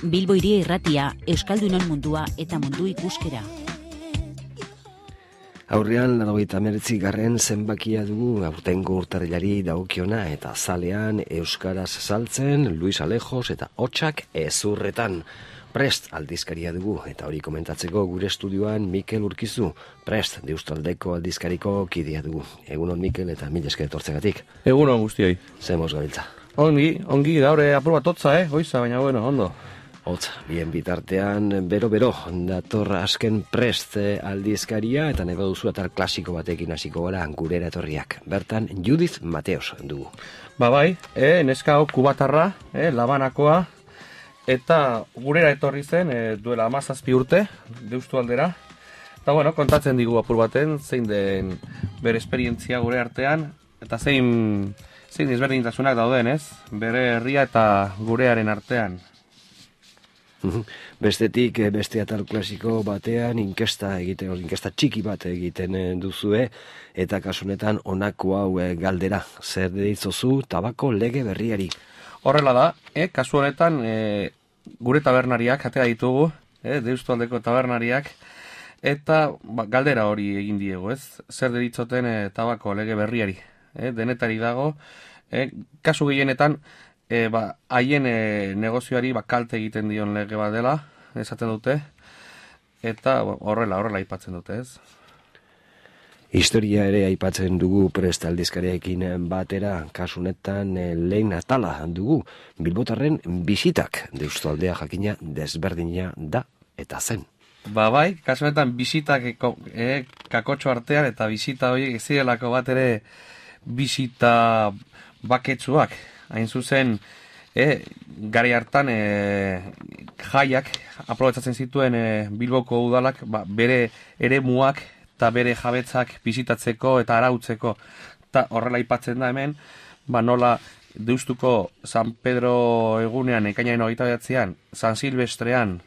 Bilbo Hiria Irratia, Euskaldunon mundua eta mundu ikuskera. Aurrean 89. zenbakia dugu aurtengo urtarrilari dagokiona eta zalean euskaraz saltzen Luis Alejos eta Hotsak ezurretan. Prest aldizkaria dugu eta hori komentatzeko gure estudioan Mikel Urkizu, Prest Deustaldeko aldizkariko kidea dugu. Egunon Mikel eta mil esker etortzegatik. Egunon guztioi. Zemoz gabiltza. Ongi, gaur apur bat hotza, goiza, baina bueno, ondo. Hotz, bien bitartean, bero, dator azken Prest aldizkaria eta nahi baduzu atal klasiko batekin hasiko gara gurera etorriak. Bertan, Judith Mateos dugu. Bai, neska hau kubatarra, Labanakoa, eta gurera etorri zen duela 17 urte, Deustu aldera. Eta bueno, kontatzen digu apur baten, zein den bere esperientzia gure artean, eta zein ezberdintasunak dauden, ez? Bere herria eta gurearen artean. Bestetik, beste atal klasiko batean inkesta txiki bat egiten duzue, eta kasunetan honako hau galdera, zer deritzozu tabako lege berriari? Horrela da, kasu honetan gure tabernariak atera ditugu, Deustualdeko tabernariak, eta galdera hori egin diegu, ez? Zer deritzoten tabako lege berriari, denetari dago, kasu gehienetan, haien negozioari kalte egiten dion lege bat dela, esaten dute, eta horrela aipatzen dute, ez? Historia ere aipatzen dugu Prest aldizkariarekin batera, kasunetan lehen atala dugu, bilbotarren bisitak, Deustualdea jakina desberdina da eta zen. Bai, kasunetan bisitak kakotxo artean eta bisita horiek ezirelako bat ere bisita baketsuak. Hain zuzen, gari hartan jaiak aprobetzatzen zituen Bilboko udalak bere eremuak eta bere jabetzak bisitatzeko eta arautzeko. Eta horrela aipatzen da hemen, nola Deustuko San Pedro egunean, ekainaren 29an, San Silvestrean,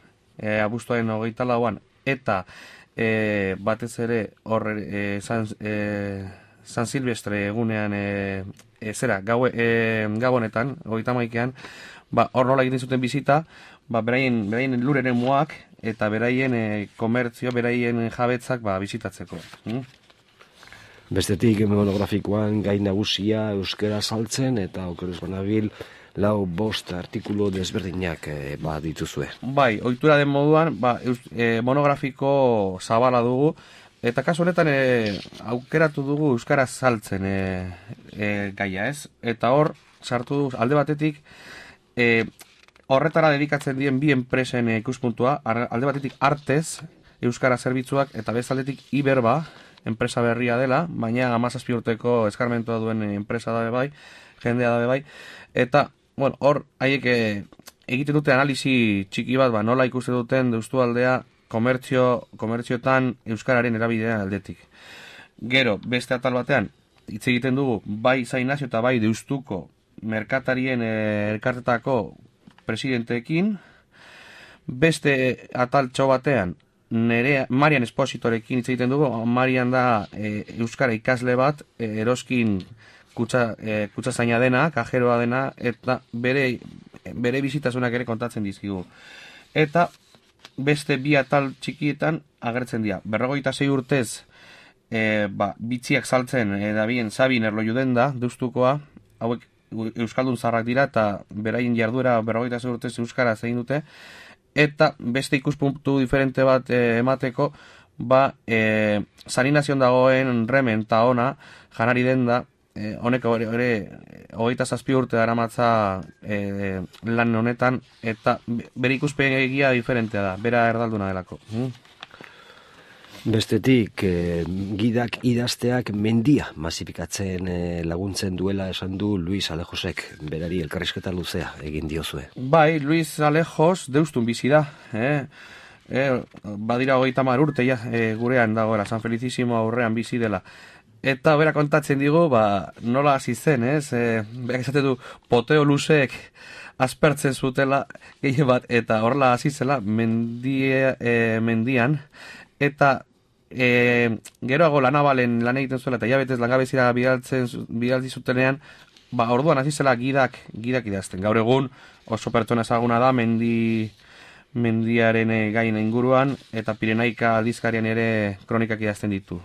abuztuaren 24an, eta batez ere San Silvestre egunean Gabonetan, 31an, hor nola egiten zuten bizita, beraien lureren muak eta beraien komertzio, beraien jabetzak bizitatzeko. Bestetik monografikoan gai nagusia euskara saltzen eta okerez banabil 4-5 artikulu desberdinak dituzue. Bai, ohitura den moduan, monografiko zabala dugu, eta kasu honetan aukeratu dugu euskaraz saltzen gaia, ez? Eta hor, sartu du alde batetik, horretara dedikatzen dien bi enpresen ikuspuntua, alde batetik Artez, euskara zerbitzuak, eta bezaldetik Iberba, enpresa berria dela, baina 17 urteko eskarmentua duen enpresa dabe bai, jendea dabe bai, eta, hor, haiek egiten dute analisi txiki bat, nola ikusten duten Deustualdea komertziotan euskararen erabidea aldetik. Gero, beste atal batean, hitz egiten dugu, bai San Ignacio eta bai Deustuko merkatarien elkartetako presidenteekin, beste atal txo batean, Marian Espositorekin hitz egiten dugu, Marian da euskara ikasle bat, eroskin kutsazaina dena, kajeroa dena, eta bere bizitasunak ere kontatzen dizkigu. Eta beste bi atal txikietan agertzen dira. 46 urtez bitziak saltzen dabien Sabin Erlojuden da, Deustukoa, hauek euskaldun zarrak dira eta beraien jarduera 46 urtez euskaraz egin dute, eta beste ikuspuntu diferente bat emateko, San Ignazion dagoen Remen eta ona, janari den da, honek ere 27 urte daramatza lan honetan, eta bere ikuspegia diferentea da, bera erdalduna delako. Bestetik, gidak idazteak mendia masifikatzen laguntzen duela esan du Luis Alejosek, berari elkarrizketa luzea egin diozue. Bai, Luis Alejos Deustun bizi da, badira 30 urte gurean dagoela, San Felicísimo aurrean bizi dela. Eta bera kontatzen digu, nola hasi zen, ez? Berak esate du, poteo luzeek aspertzen zutela gehien bat, eta horrela hasi zela mendian, eta geroago lanabalen lan egiten zuela, eta jabetez langabezira bidaltzi zutenean, orduan hasi zela gidak idazten. Gaur egun oso pertsona ezaguna da, mendiaren gain inguruan, eta Pirenaika aldizkarian ere kronikak idazten ditu.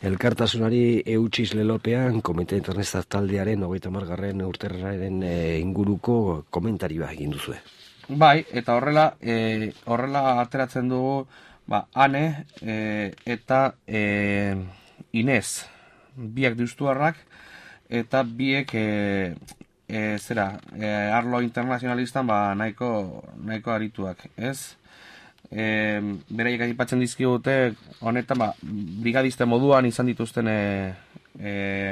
Elkartasunari eutxiz lelopean, Komite Internet taldearen 30. urterraren inguruko komentarioa egin duzue. Bai, eta horrela ateratzen dugu Ane eta Inez, biak deustuarrak, eta biek arlo internazionalistan nahiko arituak, ez? Beraiek aipatzen dizkigute honetan brigadiste moduan izan dituzten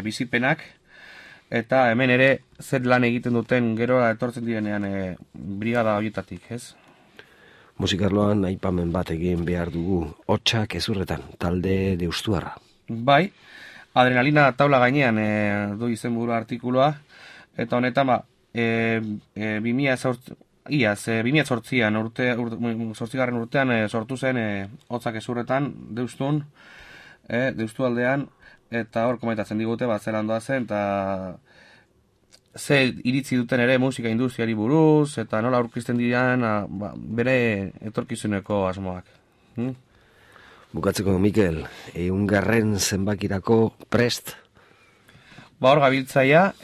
bizipenak, eta hemen ere zer lan egiten duten gero etortzen direnean brigada horietatik, ez? Musikarloan aipamen bat egin behar dugu, Hotsak Hezurretan, talde deustuarra. Bai, adrenalina taula gainean du izenburu artikuloa, eta honetan 2008an urtean sortu zen Hotsak Hezurretan deustun, deustu aldean, eta hor komentatzen digute zelandoa zen, eta ze iritzi duten ere musika industriari buruz, eta nola aurkisten diran bere etorkizuneko asmoak. Bukatzeko, Mikel, 100. zenbakirako prest? Hor gabiltzaia,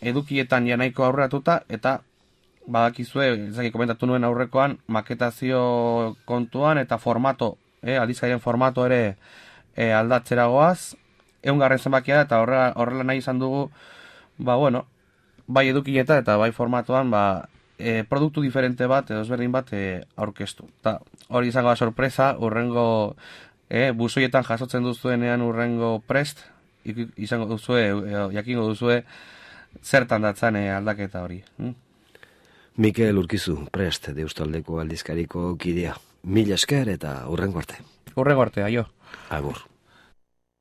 edukietan nahiko aurreratuta, eta badakizue, ezagik komentatu nuen aurrekoan, maketazio kontuan eta formato, aldizkarien formato ere aldatzeragoaz, 100. zenbakia eta horrela nahi izan dugu, bai edukieta eta bai formatoan produktu diferente bat edo ezberdin bat aurkeztu. Ta hori izango da sorpresa, urrengo buzoietan jasotzen duzuenean urrengo prest, izango duzue, jakingo duzue zertan datzan aldaketa hori. Mikel Urkizu, prest, deustaldeko aldizkariko kidea. Mila esker eta urrengo arte. Urrengo arte, aio. Agur.